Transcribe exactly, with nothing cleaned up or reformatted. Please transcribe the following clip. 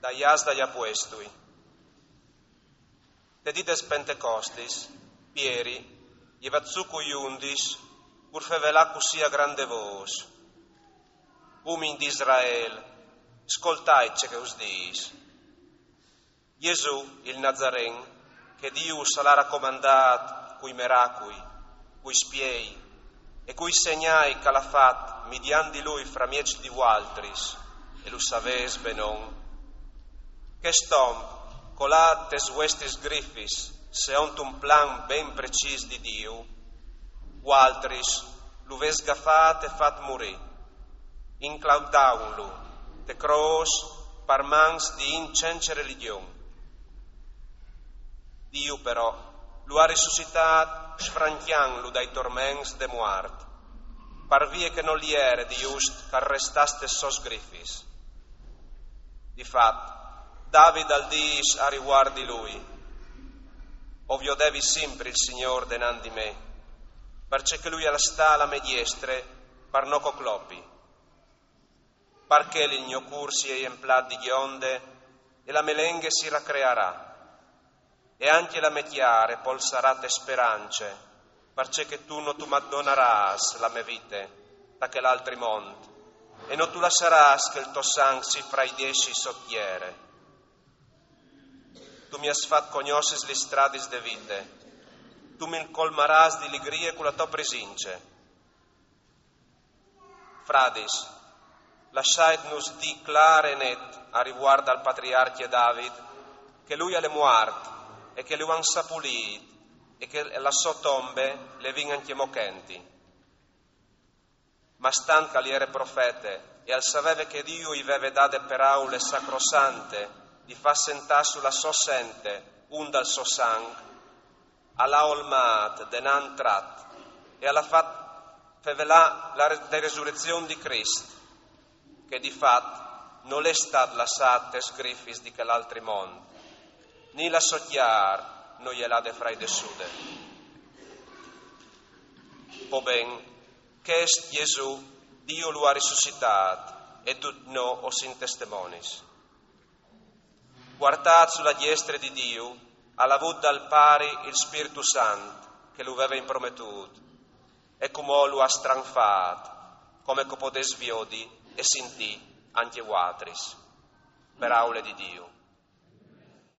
Dai ats dai apuestui. Te dì des Pentecostis, Pieri, jevat su cui undis, pur fevelà cussì a grande vôs: Umin di Israel, scoltait ce che us dîs. Jesù, il Nazaren, che Diu us al à racomandât cui meracui, cui spiei e cui segnâi che al à fat midiant di lui framieç di vualtris, e lu savês benon. Chest om, colât tes vuestis grifis, seont un plan ben precîs di Diu, vualtris lu vês gafât e fat murî, inclaudantlu te crôs par mans di int cence religjon. Diu però lu à risuscitât sfrancjantlu dai torments de muart, par vie che nol jere di just che al restàs tes sôs grifis. Di fat, David al dîs a rivuart di lui: O viodevi simpri il Signôr denant di me, parcè che lui al sta a la mê diestre par no che o clopi. Par chel il gno cûr si è jemplât di gjonde e la mê lenghe si racrearà, e ancje la mê cjar e polsarà te sperance, parcè che tu no tu mi donarâs la mê vite ta chel altri mont, e no tu lassarâs che il to sanc si fraidessi sot tiere. Tu mi âs fat cognossi lis stradis de vite, tu mi colmarâs di ligrie cu la tô presince. Fradis, lassait-nus dî clâr e net a rivuart dal patriarcje David, che lui al è muart e che lu àn sapulît e che la sô tombe le vin ancjemò chenti. Ma stant che al jere profete e al saveve che Diu i veve dade peraule sacrosante di fâ sentâ su la sô sente un dal so sanc, al à olmât denant trat e al à fat fevelâ la re-, de resurezion di Crist, che di fat nol è stât lassât tes grifis di chel altri mont, ni la sô cjar no je lade fraidessude. Po ben, chest Jesù Diu lu à risuscitât e ducj nô o sin testemonis. Puartât su la diestre di Diu, al à vût dal Pari il Spirtu Sant che lu veve imprometût, e cumò lu à stranfât, come che o podês viodi e sintî ancje vualtris. Peraule di Diu.